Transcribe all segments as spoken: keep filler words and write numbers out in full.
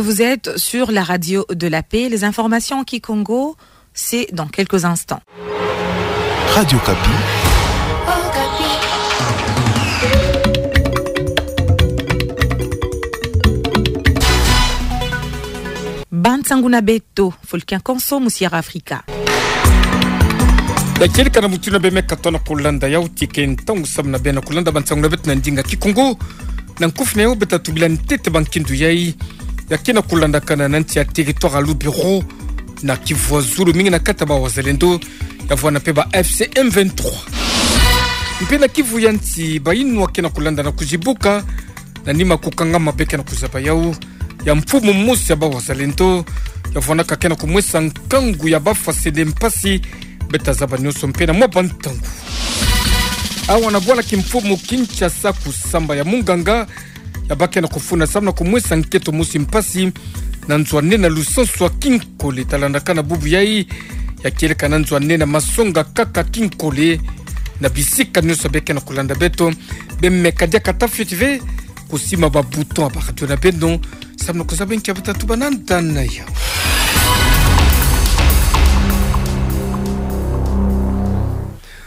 Vous êtes sur la radio de la paix. Les informations en kikongo, c'est dans quelques instants. Radio Okapi. Bansangu na beto, Fulkin Konso, mu Sierra Africa. Ya kieleka na mutindu beme katoa na kulanda yau, tika e ntangu samu na beno kulanda bansangu na beto na ndinga kikongo. Na nkufi na yau beta tubila ntete bankindu yai ya kena kulandakana na nsi ya territoire ya Lubero, na Kivu ya Zulu, mingi na kati ya ba Wazalendo, ya vwanda mpe ba F C M vingt-trois. Mpe na Kivu ya nsi, bayinwa kena kulanda na kuzibuka na nima kukangama be kena kuzaba yau ya mfumu mosi ya ba Wazalendo, ya vwandaka kena kumwesa nkangu ya bafwasende mpasi. Beta zaba nionso mpe na mwa bantangu. Awa na bwala kimfumu Kinshasa, kusamba ya munganga ya ba kena kufunda samu na kumwesa nkento mosi mpasi na nzo ya nene ya Lusansu ya Kinkole. Talandaka na bubu yai, ya kieleka na nzo ya nene ya Masonga kaka Kinkole, na bisika nionso be kena kulanda beto. Beme kadia kata fioti ve kusima ba bouton ya ba radio na beno samu na kuzaba nki ya beta tuba na nda na yau.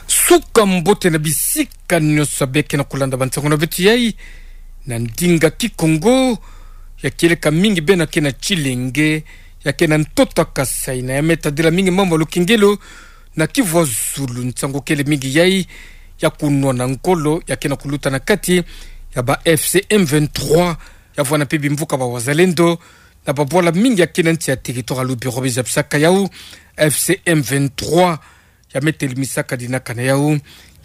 Suka mbote na bisika nionso be kena kulanda bansangu na beto yai na ndinga kikongo. Ya kieleka mingi bena kena Tshilenge, ya kena ntoto ya Kasaï, na ya me tadila mingi mambu ya lukengelo na Kivu ya Zulu. Nsangu kele mingi yai ya kunwana ngolo ya kena kuluta na kati ya ba F C M vingt-trois, ya vwanda mpe bimvuka ba Wazalendo na babwala mingi ya kena nsi ya territoire ya Lubero. Be zabisaka yau, F C M vingt-trois ya me telimisaka dinaka na yau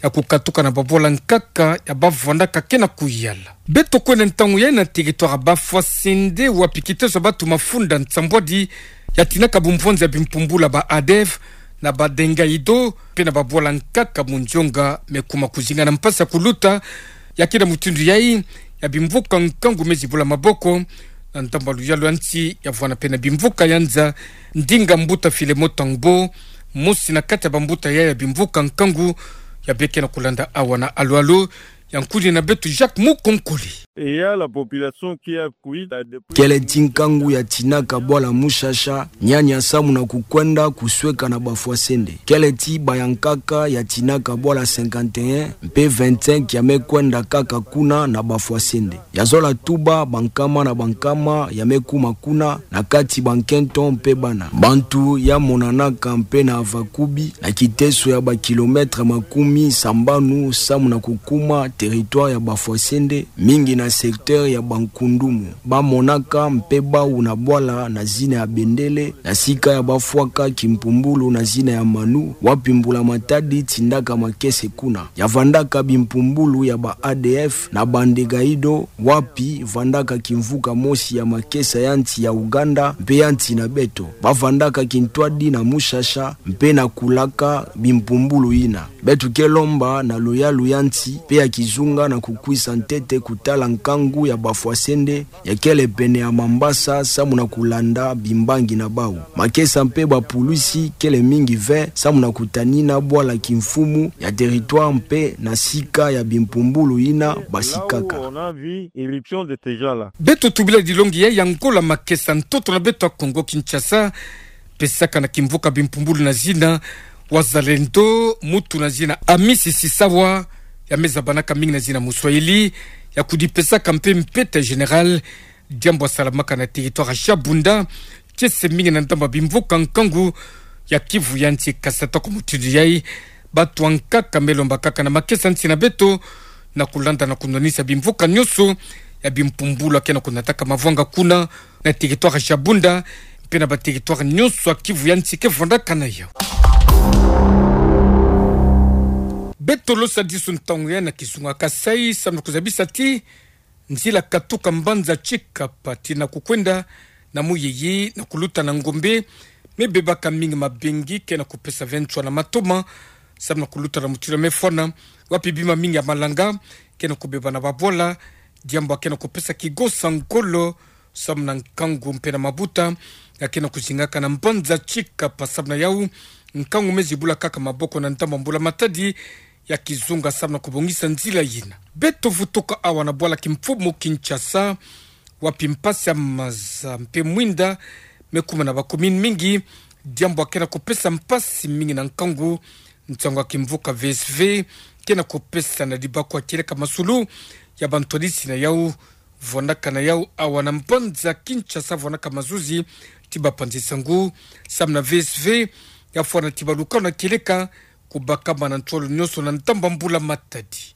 ya kukatuka na babwala nkaka ya ba vwandaka kena kuyala. Beto kwenda ntangu yai na territoire ya Bafwasende, wapi kiteso ya batu mafunda nsambwadi ya tinaka bumvwanzi ya bimpumbulu ya ba A D F na ba Dengaido, mpe na babwala nkaka Mundionga, me kuma kuzinga na mpasi ya kuluta ya kena mutindu yai ya bimvuka nkangu me zibula maboko na ndambu ya luyalu ya nsi, ya vwanda mpe na bimvuka ya nza. Ndinga mbuta Filemon Tambou, mosi na kati ya bambuta yai ya bimvuka nkangu, ya be kena kulanda awa na alu alu ya nkuni na beto Jacques Mukonkole. Et il y a la population qui a fui la depuis... Kele ti nkangu ya tinaka bwala Mushasha, nyanya samu na kukwenda kusweka na Bafwasende. Kele ti bayankaka ya tinaka bwala cinquante et un, mpe vingt-cinq ya me kwenda kaka kuna na Bafwasende. Ya zola tuba bankama na bankama ya me kuma kuna, na kati bankento mpe bana. Bantu ya monanaka mpe na Avakubi, na kiteso ya ba kilomètres makumi sambanu samu na kukuma territoire ya Bafwasende, mingi na secteur ya Bankundumu. Ba monaka mpe bau na bwala na zina ya Bendele, na sika ya bafwaka kimpumbulu na zina ya Manu, wapi mbula matadi tindaka makese kuna. Ya vandaka bimpumbulu ya ba A D F na Bandegaido, wapi vandaka kimvuka mosi ya makesa ya nsi ya Uganda mpe ya nsi na beto. Ba vandaka kintwadi na Mushasha mpe na kulaka bimpumbulu yina. Beto ke lomba na luyalu ya nsi mpe ya kizunga na kukwisa ntete kutala nkangu ya Bafwasende, ya kele pene ya Mambasa, samu na kulanda bimbangi na bau. Makesa mpe bapulusi kele mingi ve samu na kutanina bwala kimfumu ya territoire mpe na sika ya bimpumbulu yina basikaka. Là où on a vu irruption de ces gens-là. Beto tubila dilongi ya, ya ngola makesa ntoto na beto ya Kongo Kinshasa, pesaka na kimvuka bimpumbulu na zina Wazalendo, muntu na zina Amisi Sisawa, ya me zabanaka mingi na zina Muswahili, ya kudipesaka mpe mpeta général, diambu ya salamaka na territoire ya Shabunda, kiese mingi na ndambu ya bimvuka nkangu ya Kivu ya nsi. Kasi ata kwa mutindu yai, bantu ankaka me lomba kaka na makesa nsi na beto, na kulanda na kunwanisa bimvuka nyonso ya bimpumbulu ya ke na kunataka mavwanga kuna, na territoire ya Shabunda, mpe na ba territoire nyonso ya Kivu ya nsi ke vandaka na yau. Beto losadisu ntangu ya na kizunga Kasaï, samu na kuzabisa ti nzila katuka mbanza Tshikapa tii na kukwenda na Muyiyi na kuluta na Ngombe, me bebaka mingi mabengi ke na kupesa ve nswa na matoma, samu na kuluta na mutindu ya me fwana, wapi bima mingi ya malanga ke na kubeba na babwala, diambu ya ke na kupesa kigosa ngolo, samu na nkangu mpe na mabuta ya ke na kuzingaka na mbanza Tshikapa. Samu na yau, nkangu me zibula kaka maboko na ndambu ya mbula matadi ya kizunga, samu na kubongisa nzila yina. Beto vutuka awa na bwala kimfumu Kinshasa, Wapi mpasi ya maza mpe mwinda me kuma na ba commune mingi, diambu ya kena kupesa mpasi mingi na nkangu. Nsangu ya kimvuka V S V kena kupesa na dibako ya kieleka masulu ya bantwadisi na yau, vwanaka na yau awa na mbanza Kinshasa, vwanaka mazuzi ti bapanzi nsangu. Samu na V S V, ya fwana ti balukanu ya kieleka kubakama na ntwala nyonso na ntamba mbula matadi.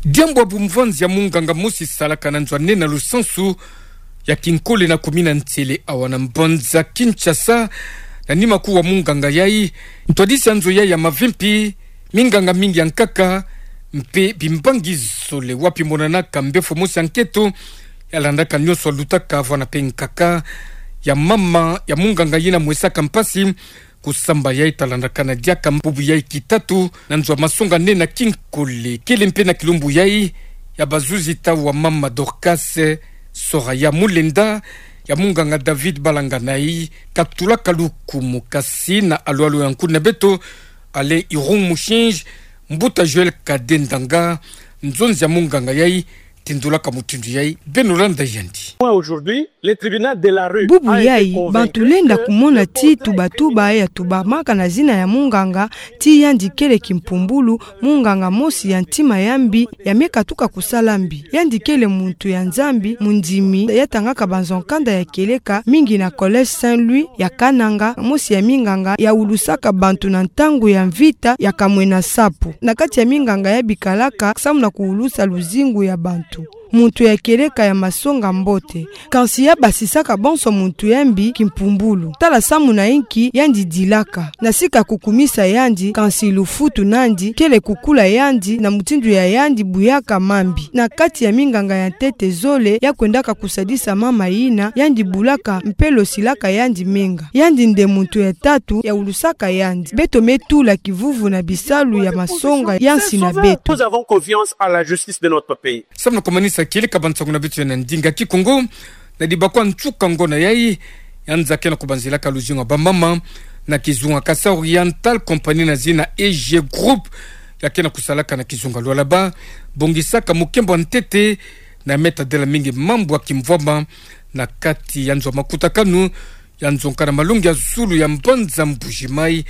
Diambu ya bumvanzi ya munganga mosi salaka na nzo ya nene na lusansu ya kinkole na kumina ntele awa na mbanza Kinshasa, na nima kuu wa munganga yai, ntwadisi ya nzo yai ya mavimpi, minganga mingi ya nkaka, mpe bimbangi zole wapi monanaka mbefo mosi ya nketo, ya landaka nyonso ya lutaka vwana mpe nkaka ya mama ya munganga yina mwesaka mpasi kusamba yai, ta landakana diaka mbubu yai kitatu na nzo ya masonga nene na kinkole. Kele mpe na kilumbu yai ya bazuzi tau wa mama Dorcas Soraya Mulenda, ya munganga David Balanganai, katulaka lukumu. Kasi na alwalo ya nkuni na beto Alain Irung Mushinji, mbuta Joël Kadendanga, nzonzi ya munganga yai, tindulaka mutindu yai. Beno landa yandi. Moi, aujourd'hui, le tribunal de la rue a été convaincu que le... Bubu yai, bantu lenda kumona ti tubatuba ya tubamaka na zina ya munganga, ti yandi kele kimpumbulu, munganga mosi ya ntima ya mbi, ya me katuka kusala mbi. Yandi kele muntu ya Nzambi, mundimi, ya tangaka banzo nkanda ya kieleka mingi na Collège Saint-Louis ya Kananga, mosi ya minganga ya ulusaka bantu na ntangu ya mvita ya kamwena nsapu. Na kati ya minganga ya bikalaka samu na kuulusa luzingu ya bantu. Muntu ya kieleka ya masonga mbote. Kansi ya basisaka bonso muntu ya mbi kimpumbulu. Tala samu na inki yandi dilaka. Na sika kukumisa yandi, kansi lufutu nandi kele kukula yandi na mutindu ya yandi buyaka mambi. Na kati ya minganga ya ntete zole ya kwendaka kusadisa mama yina, yandi bulaka mpe losilaka yandi menga. Yandi nde muntu ya tatu ya ulusaka yandi. Beto me tula kivuvu na bisalu ya masonga ya nsi na beto. Nous avons confiance à la justice de notre pays. Samu na kumanisa kieleka bansangu na beto ya na ndinga Kikongo, na dibako ya nsuka ngona yai, ya nza kena kubanzilaka luzingu ya bamama na kizunga Kasaï Oriental, compagnie na zina E G Group, ya kena kusalaka na kizunga Lualaba, bongisaka mukembo ya ntete na me tadila mingi mambu ya kimvwama na kati ya nzo ya makutakanu ya nzonga na malongi ya zulu ya mbanza Mbuji-Mayi.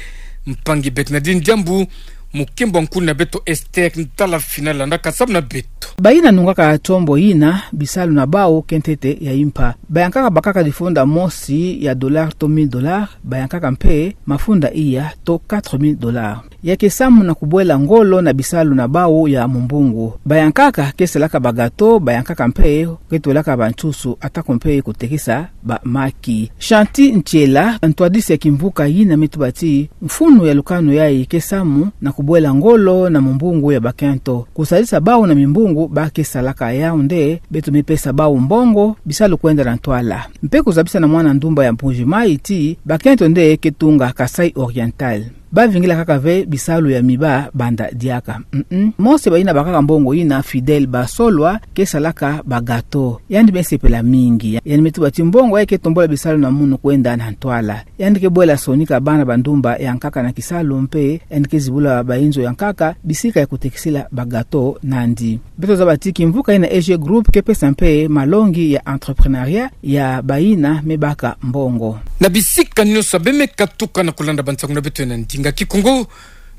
Mpangi Bernardine Diambu, mukembo ya nkuni na beto Esther Ntalafina landaka samu na beto. Bayina nungaka tombo yina, bisalu na bawu ke ntete ya impa. Bayankaka bakaka difunda mosi ya dollar to mille dollars, bayankaka mpe mafunda iya to quatre mille dollars. Ya ke samu na kubwela ngolo na bisalu na bawu ya mumbungu. Bayankaka ke salaka ba gâteau, bayankaka mpe ke twelaka bansusu, atako mpe kutekisa bamaki. Chanty Ntiela, ntwadisi ya kimvuka yina, me tuba ti mfunu ya lukanu yai ke samu na kubwela ngolo na mumbungu ya bakento. Kusadisa bawu na mimbungu ba ke salaka, yau nde beto me pesa bawu mbongo, bisalu kwenda na ntwala. Mpe kuzabisa na mwana ndumba ya Mbuji-Mayi ti bakento nde ke tunga Kasaï Oriental. Ba vingila kaka ve bisalu ya miba banda diaka. Mm-mm. Mosi bayina bakaka mbongo yina, Fidèle Basolwa, ke salaka ba gâteau. Yandi me sepela mingi. Yandi me tuba ti mbongo yai ke tombula bisalu na munu kwenda na ntwala. Yandi ke bwela sonika bana ba ndumba ya nkaka na kisalu mpe yandi ke zibula bayinzo ya nkaka bisika ya kutekisila ba gâteau nandi. Beto zaba ti kimvuka yina E G Group ke pesa mpe malongi ya entrepreneuriat ya bayina me baka mbongo. Na bisika nyonso beno me katuka na kulanda bansangu na beto ya na ndinga Kikongo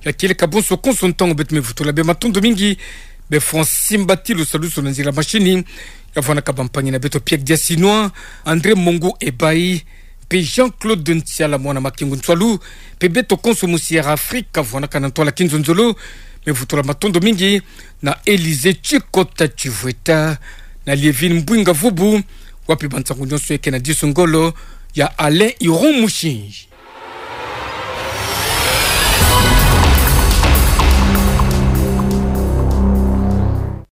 ya kieleka bonso konso, ntangu beto me vutula beno matondo mingi. Beno fwani simba ti lusalusu na nzila machine ya vwanaka bampangi na beto Pierre Diasinois, André Mongu Ebayi, mpe Jean-Claude Ntiala, mwana Makengo Ntwalu, mpe beto konso mu Sierra Africa, vwanaka na ntwala kinzonzolo. Me vutula matondo mingi na Élysée Tshikota Tshivweta, na Liévine Mbwinga Vubu, wapi bansangu nyonso ye ke na disu ngolo ya Alain Iron Mushinji.